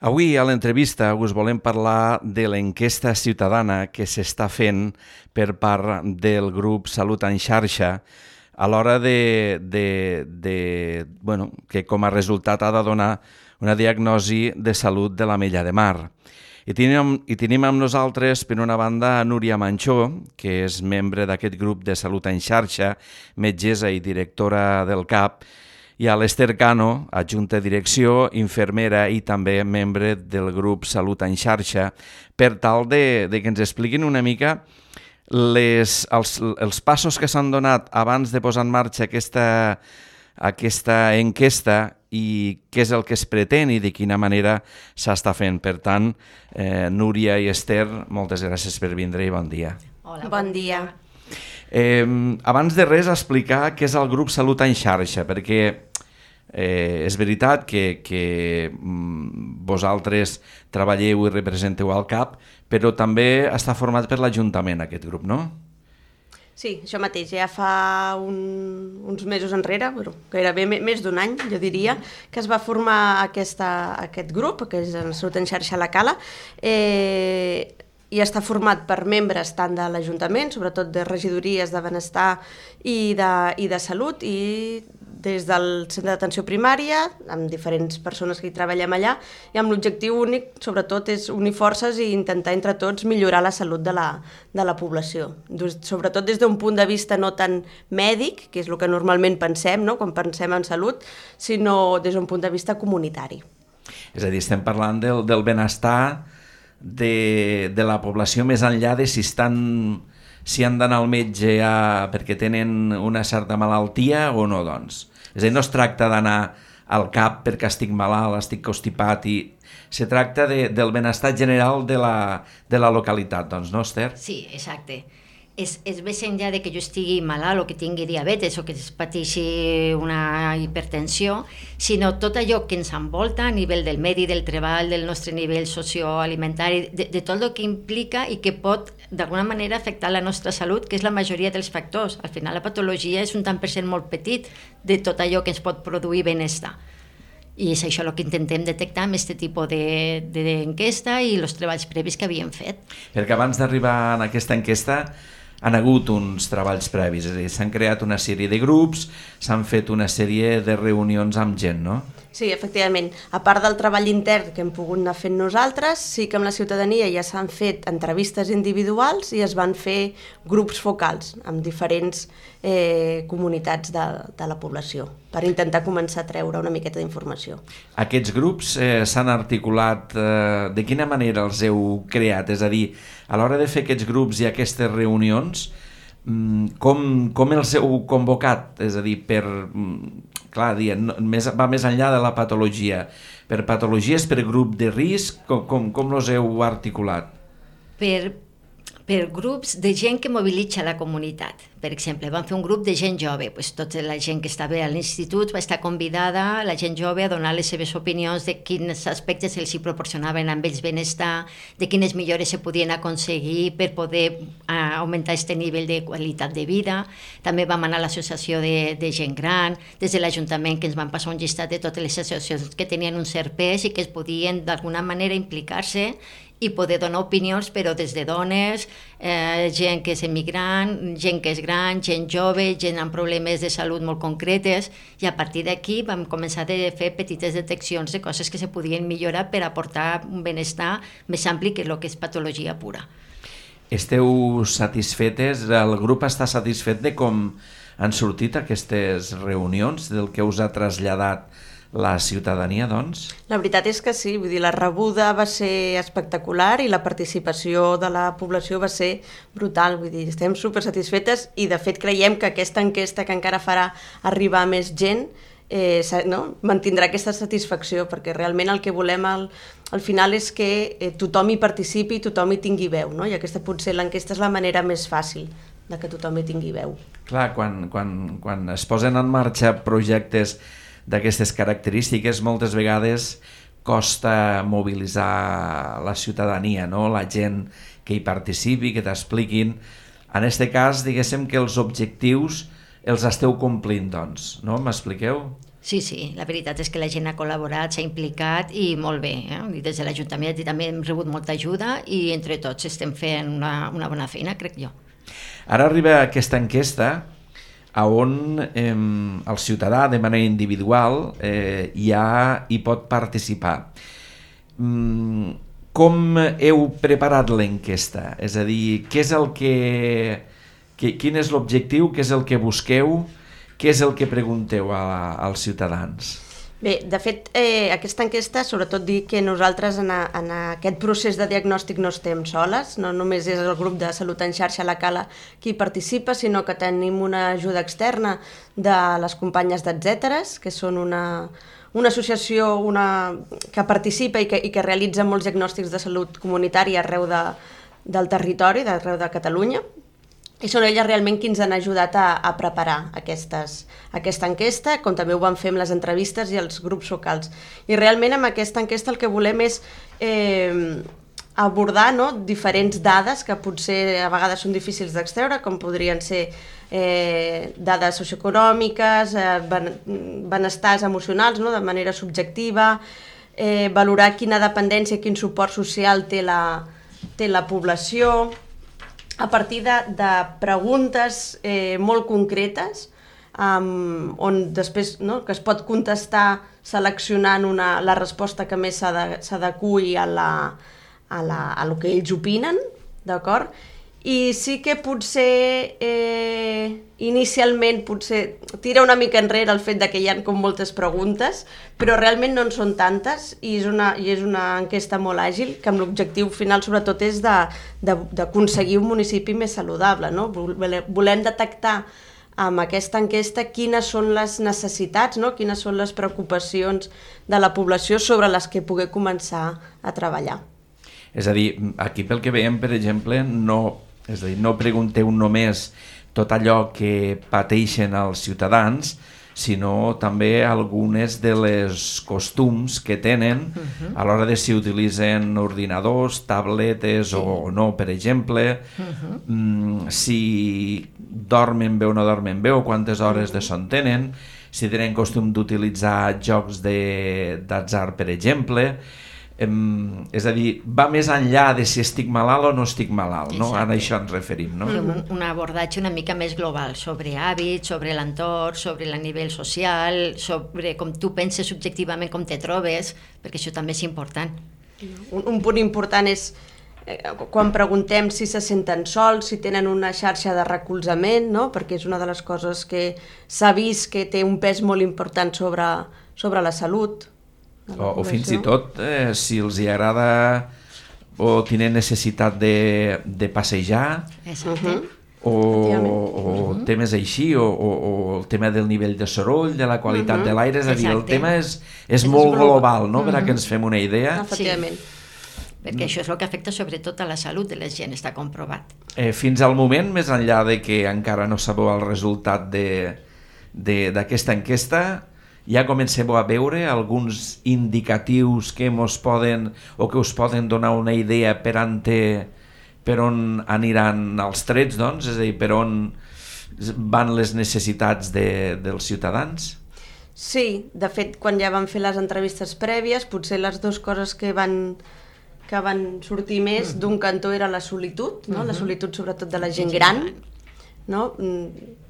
Avui a l'entrevista us volem parlar de l'enquesta ciutadana que s'està fent per part del grup Salut en Xarxa a l'hora que com a resultat ha de donar una diagnosi de salut de l'Ametlla de Mar. I tenim amb nosaltres, per una banda, a Núria Manchó, que és membre d'aquest grup de Salut en Xarxa, metgessa i directora del CAP, i a l'Ester Cano, adjunta de direcció, infermera i també membre del grup Salut en Xarxa, per tal de que ens expliquin una mica els passos que s'han donat abans de posar en marxa aquesta enquesta i què és el que es pretén i de quina manera s'està fent. Per tant, Núria i Ester, moltes gràcies per vindre i bon dia. Hola, bon dia. Abans de res, explicar què és el grup Salut en Xarxa, perquè és veritat que vosaltres treballeu i representeu al CAP, però també està format per l'Ajuntament aquest grup, no? Sí, això mateix, ja fa uns mesos enrere, gairebé més d'un any, jo diria, que es va formar aquest grup, que és el Salut en Xarxa a la Cala, i està format per membres tant de l'Ajuntament, sobretot de regidories de benestar i de salut, i des del centre d'atenció primària, amb diferents persones que hi treballem allà, i amb l'objectiu únic, sobretot, és unir forces i intentar entre tots millorar la salut de la població. Sobretot des d'un punt de vista no tant mèdic, que és el que normalment pensem, no?, quan pensem en salut, sinó des d'un punt de vista comunitari. És a dir, estem parlant del benestar de la població més enllà de si han d'anar al metge perquè tenen una certa malaltia o no, doncs. És a dir, no es tracta d'anar al CAP perquè estic malalt, estic constipat, se tracta del benestar general de la localitat, doncs, no, Ester? Sí, exacte. És més enllà de que jo estigui malalt o que tingui diabetes o que es pateixi una hipertensió, sinó tot allò que ens envolta a nivell del medi, del treball, del nostre nivell socioalimentari, de tot el que implica i que pot d'alguna manera afectar la nostra salut, que és la majoria dels factors. Al final la patologia és un tant per cent molt petit de tot allò que ens pot produir benestar. I és això el que intentem detectar amb aquest tipus d'enquesta i els treballs previs que havíem fet. Perquè abans d'arribar a aquesta enquesta han hagut uns treballs previs, és a dir, s'han creat una sèrie de grups, s'han fet una sèrie de reunions amb gent, no? Sí, efectivament. A part del treball intern que hem pogut anar fent nosaltres, sí que amb la ciutadania ja s'han fet entrevistes individuals i es van fer grups focals amb diferents comunitats de la població per intentar començar a treure una miqueta d'informació. Aquests grups s'han articulat, de quina manera els heu creat? És a dir, a l'hora de fer aquests grups i aquestes reunions, com els heu convocat? És a dir, clar, va més enllà de la patologia. Per patologies, per grup de risc, com els heu articulat? Per grups de gent que mobilitza la comunitat. Per exemple, vam fer un grup de gent jove, tota la gent que estava a l'institut va estar convidada, la gent jove, a donar les seves opinions de quins aspectes els hi proporcionaven amb ells benestar, de quines millores se podien aconseguir per poder augmentar aquest nivell de qualitat de vida. També vam anar a l'associació de gent gran, des de l'Ajuntament, que ens van passar un llistat de totes les associacions que tenien un cert pes i que es podien d'alguna manera implicar-se i poder donar opinions, però des de dones, gent que és emigrant, gent que és gran, gent jove, gent amb problemes de salut molt concretes, i a partir d'aquí vam començar a fer petites deteccions de coses que se podien millorar per aportar un benestar més ampli que el que és patologia pura. Esteu satisfetes? El grup està satisfet de com han sortit aquestes reunions, del que us ha traslladat la ciutadania, doncs? La veritat és que sí, vull dir, la rebuda va ser espectacular i la participació de la població va ser brutal, vull dir, estem super satisfetes i de fet creiem que aquesta enquesta que encara farà arribar a més gent mantindrà aquesta satisfacció, perquè realment el que volem al final és que tothom hi participi i tothom hi tingui veu, no? I aquesta potser l'enquesta és la manera més fàcil de que tothom hi tingui veu. Clar, quan es posen en marxa projectes d'aquestes característiques, moltes vegades costa mobilitzar la ciutadania, no? La gent que hi participi, que t'expliquin. En aquest cas, diguéssim que els objectius els esteu complint, doncs, no? M'expliqueu? Sí, la veritat és que la gent ha col·laborat, s'ha implicat i molt bé. I des de l'Ajuntament també hem rebut molta ajuda i entre tots estem fent una bona feina, crec jo. Ara arriba aquesta enquesta on el ciutadà de manera individual hi pot participar. Com heu preparat l'enquesta? És a dir, quin és l'objectiu, què és el que busqueu, què és el que pregunteu als ciutadans? Bé, de fet, aquesta enquesta, sobretot dir que nosaltres en aquest procés de diagnòstic no estem soles, no només és el grup de Salut en Xarxa La Cala qui participa, sinó que tenim una ajuda externa de les companyes d'Etcèteres, que són una associació que participa i que realitza molts diagnòstics de salut comunitària arreu del territori, d'arreu de Catalunya, i són elles realment qui ens han ajudat a preparar aquesta enquesta, com també ho van fer amb les entrevistes i els grups locals. I realment amb aquesta enquesta el que volem és abordar diferents dades que potser a vegades són difícils d'extreure, com podrien ser dades socioeconòmiques, benestars emocionals de manera subjectiva, valorar quina dependència i quin suport social té la població, a partir de preguntes molt concretes on després que es pot contestar seleccionant la resposta que més s'adeqüi a el que ells opinen, d'acord? I sí que potser inicialment tira una mica enrere el fet que hi ha com moltes preguntes, però realment no en són tantes i és una enquesta molt àgil que amb l'objectiu final sobretot és d'aconseguir un municipi més saludable. Volem detectar amb aquesta enquesta quines són les necessitats, quines són les preocupacions de la població sobre les que poder començar a treballar. És a dir, aquí pel que veiem, per exemple, no pregunteu només tot allò que pateixen els ciutadans, sinó també algunes de les costums que tenen a l'hora de si utilitzen ordinadors, tabletes o no, per exemple, si dormen bé o no dormen bé o quantes hores de son tenen, si tenen costum d'utilitzar jocs d'atzar, per exemple. És a dir, va més enllà de si estic malalt o no estic malalt, no? Ara a això ens referim, no? Un abordatge una mica més global sobre hàbits, sobre l'entorn, sobre el nivell social, sobre com tu penses subjectivament, com te trobes, perquè això també és important. Un punt important és quan preguntem si se senten sols, si tenen una xarxa de recolzament, no? Perquè és una de les coses que s'ha vist que té un pes molt important sobre la salut. O fins i tot si els hi agrada o tenen necessitat de passejar o temes així o el tema del nivell de soroll, de la qualitat de l'aire, és a dir, el tema és molt global, no? Per a que ens fem una idea. Efectivament. Perquè això és el que afecta sobretot a la salut de la gent, està comprovat. Fins al moment, més enllà de que encara no sabeu el resultat d'aquesta enquesta, ja comenceu a veure alguns indicatius que us poden donar una idea per on aniran els trets, doncs? És a dir, per on van les necessitats dels ciutadans? Sí, de fet, quan ja vam fer les entrevistes prèvies, potser les dues coses que van sortir més d'un cantó era la solitud, la solitud sobretot de la gent gran, no?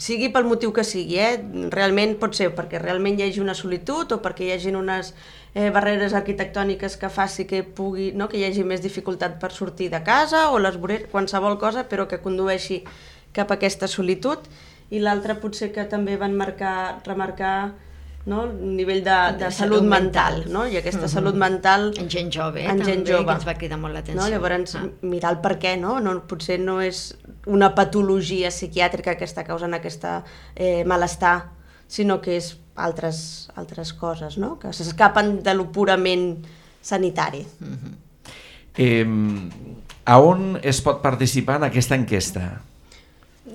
Sigui pel motiu que sigui, realment pot ser perquè realment hi hagi una solitud o perquè hi hagi unes barreres arquitectòniques que faci que hi hagi més dificultat per sortir de casa o qualsevol cosa, però que condueixi cap a aquesta solitud. I l'altra potser que també van remarcar un nivell de salut mental, i aquesta salut mental en gent jove també, que ens va cridar molt l'atenció. Llavors mirar el per què, potser no és una patologia psiquiàtrica que està causant aquest malestar, sinó que és altres coses, que s'escapen de lo purament sanitari. A on es pot participar en aquesta enquesta?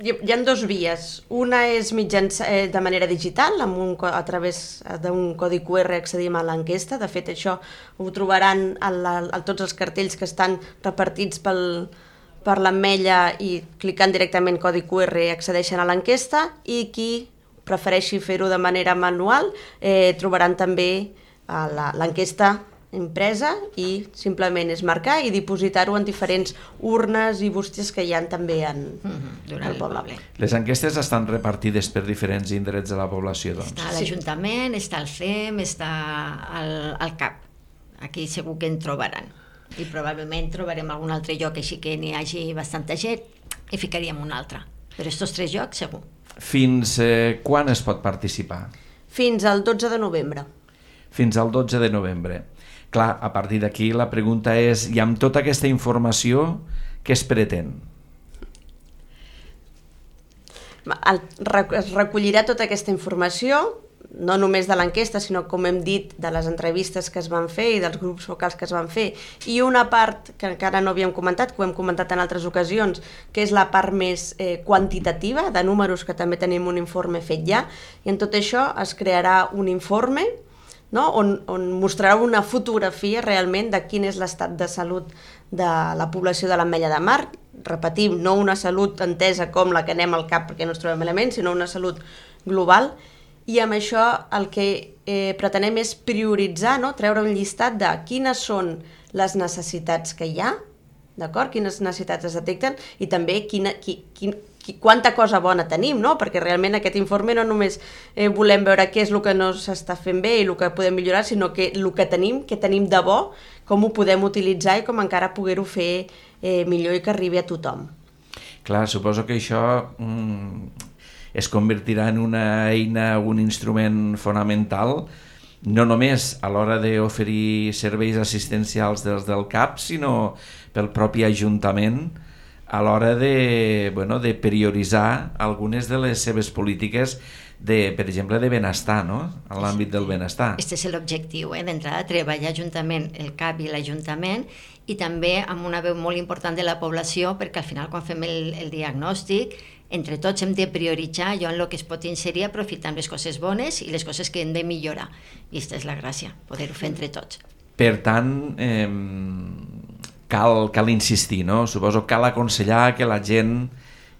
Hi ha dues vies. Una és de manera digital, a través d'un codi QR accedim a l'enquesta. De fet, això ho trobaran a tots els cartells que estan repartits per l'Ametlla i clicant directament codi QR accedeixen a l'enquesta i qui prefereixi fer-ho de manera manual, trobaran també l'enquesta impresa i simplement és marcar i dipositar-ho en diferents urnes i bústies que hi ha també al poble. Les enquestes estan repartides per diferents indrets de la població, doncs. Està a l'Ajuntament, està al CEM, està al CAP. Aquí segur que en trobaran. I probablement trobarem algun altre lloc així que n'hi hagi bastanta gent i ficaríem un altre. Però aquests 3 llocs segur. Fins quan es pot participar? Fins al 12 de novembre. Fins al 12 de novembre. Clar, a partir d'aquí la pregunta és, i amb tota aquesta informació, què es pretén? Es recollirà tota aquesta informació, no només de l'enquesta, sinó, com hem dit, de les entrevistes que es van fer i dels grups focals que es van fer, i una part que encara no havíem comentat, que ho hem comentat en altres ocasions, que és la part més quantitativa, de números, que també tenim un informe fet ja, i en tot això es crearà un informe, no? on mostrarà una fotografia realment de quin és l'estat de salut de la població de l'Ametlla de Mar. Repetim, no una salut entesa com la que anem al cap perquè no ens trobem elements, sinó una salut global, i amb això el que pretenem és prioritzar, no? Treure un llistat de quines són les necessitats que hi ha, d'acord? Quines necessitats es detecten i també quanta cosa bona tenim, no? Perquè realment aquest informe no només volem veure què és el que no s'està fent bé i el que podem millorar, sinó que el que tenim de bo, com ho podem utilitzar i com encara poder-ho fer millor i que arribi a tothom. Clar, suposo que això es convertirà en una eina, un instrument fonamental, no només a l'hora d'oferir serveis assistencials dels del CAP, sinó pel propi Ajuntament a l'hora de prioritzar algunes de les seves polítiques, per exemple, de benestar, no? En l'àmbit del benestar. Aquest és l'objectiu, d'entrada, treballar juntament el CAP i l'Ajuntament i també amb una veu molt important de la població, perquè al final quan fem el diagnòstic entre tots hem de prioritzar allò en el que es pot inserir aprofitant les coses bones i les coses que hem de millorar. I aquesta és la gràcia, poder-ho fer entre tots. Per tant, cal insistir, no? Suposo que cal aconsellar que la gent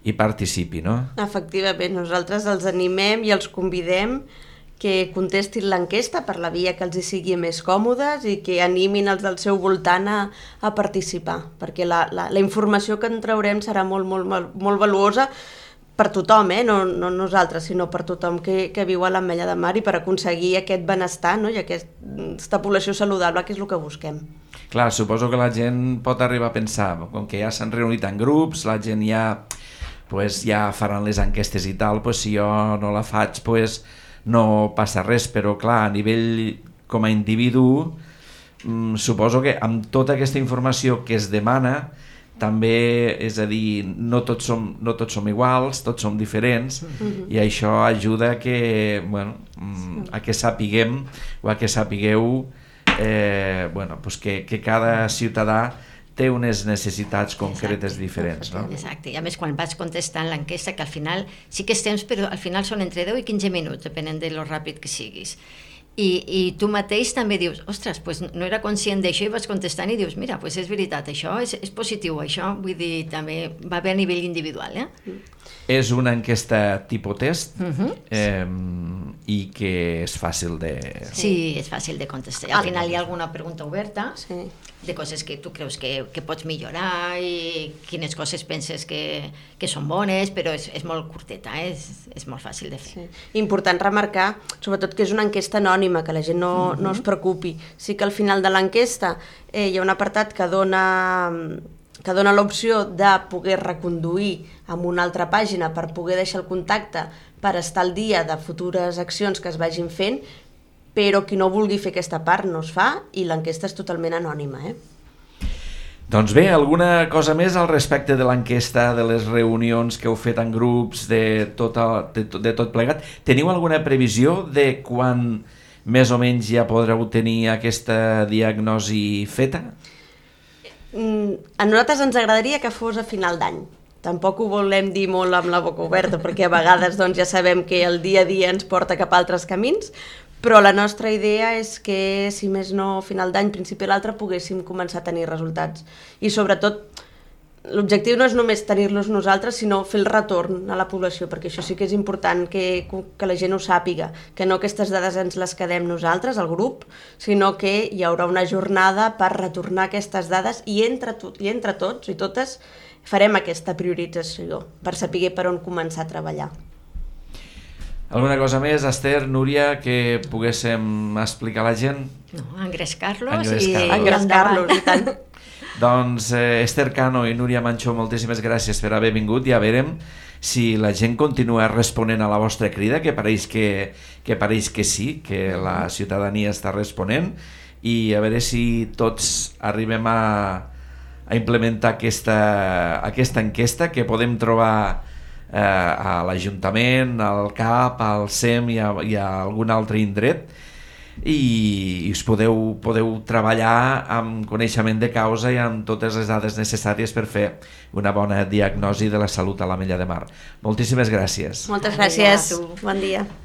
hi participi, no? Efectivament, nosaltres els animem i els convidem que contestin l'enquesta per la via que els hi sigui més còmodes i que animin els del seu voltant a participar, perquè la informació que en traurem serà molt, molt, molt, molt valuosa per tothom, no nosaltres, sinó per tothom que viu a l'Ametlla de Mar i per aconseguir aquest benestar, no? I aquesta població saludable, que és el que busquem. Clar, suposo que la gent pot arribar a pensar, com que ja s'han reunit en grups, la gent ja faran les enquestes i tal, si jo no la faig, no passa res, però clar, a nivell com a individu, suposo que amb tota aquesta informació que es demana, també, és a dir, no tots som iguals, tots som diferents, i això ajuda a que sapiguem o a que sapigueu que cada ciutadà té unes necessitats concretes diferents. No? Exacte, i a més quan vas contestant l'enquesta, que al final sí que és temps, però al final són entre 10 i 15 minuts, depenent de lo ràpid que siguis. I tu mateix també dius, ostres, no era conscient d'això i vas contestant i dius, mira, és veritat, això és positiu, això, vull dir, també va bé a nivell individual. És una enquesta tipus test i que és fàcil de... Sí, és fàcil de contestar. Al final hi ha alguna pregunta oberta de coses que tu creus que pots millorar i quines coses penses que són bones, però és molt curteta, és molt fàcil de fer. Important remarcar, sobretot, que és una enquesta anònima, que la gent no es preocupi. Sí que al final de l'enquesta hi ha un apartat que dona l'opció de poder reconduir amb una altra pàgina per poder deixar el contacte per estar al dia de futures accions que es vagin fent, però qui no vulgui fer aquesta part no es fa i l'enquesta és totalment anònima. Doncs bé, alguna cosa més al respecte de l'enquesta, de les reunions que heu fet en grups, de tot plegat? Teniu alguna previsió de quan més o menys ja podreu tenir aquesta diagnosi feta? A nosaltres ens agradaria que fos a final d'any. Tampoc ho volem dir molt amb la boca oberta, perquè a vegades ja sabem que el dia a dia ens porta cap a altres camins, però la nostra idea és que, si més no, a final d'any, principi l'altre, poguéssim començar a tenir resultats. I sobretot l'objectiu no és només tenir-los nosaltres, sinó fer el retorn a la població, perquè això sí que és important que la gent ho sàpiga, que no aquestes dades ens les quedem nosaltres, el grup, sinó que hi haurà una jornada per retornar aquestes dades i entre tots i totes farem aquesta priorització per saber per on començar a treballar. Alguna cosa més, Esther, Núria, que poguéssim explicar a la gent? No, engrescar-los i tant. Doncs Esther Cano i Núria Manchó, moltíssimes gràcies per haver vingut i a veurem si la gent continua responent a la vostra crida, que pareix que sí, que la ciutadania està responent, i a veure si tots arribem a implementar aquesta enquesta que podem trobar a l'Ajuntament, al CAP, al SEM i a algun altre indret, i us podeu treballar amb coneixement de causa i amb totes les dades necessàries per fer una bona diagnosi de la salut a l'Ametlla de Mar. Moltíssimes gràcies. Moltes gràcies. Bon dia.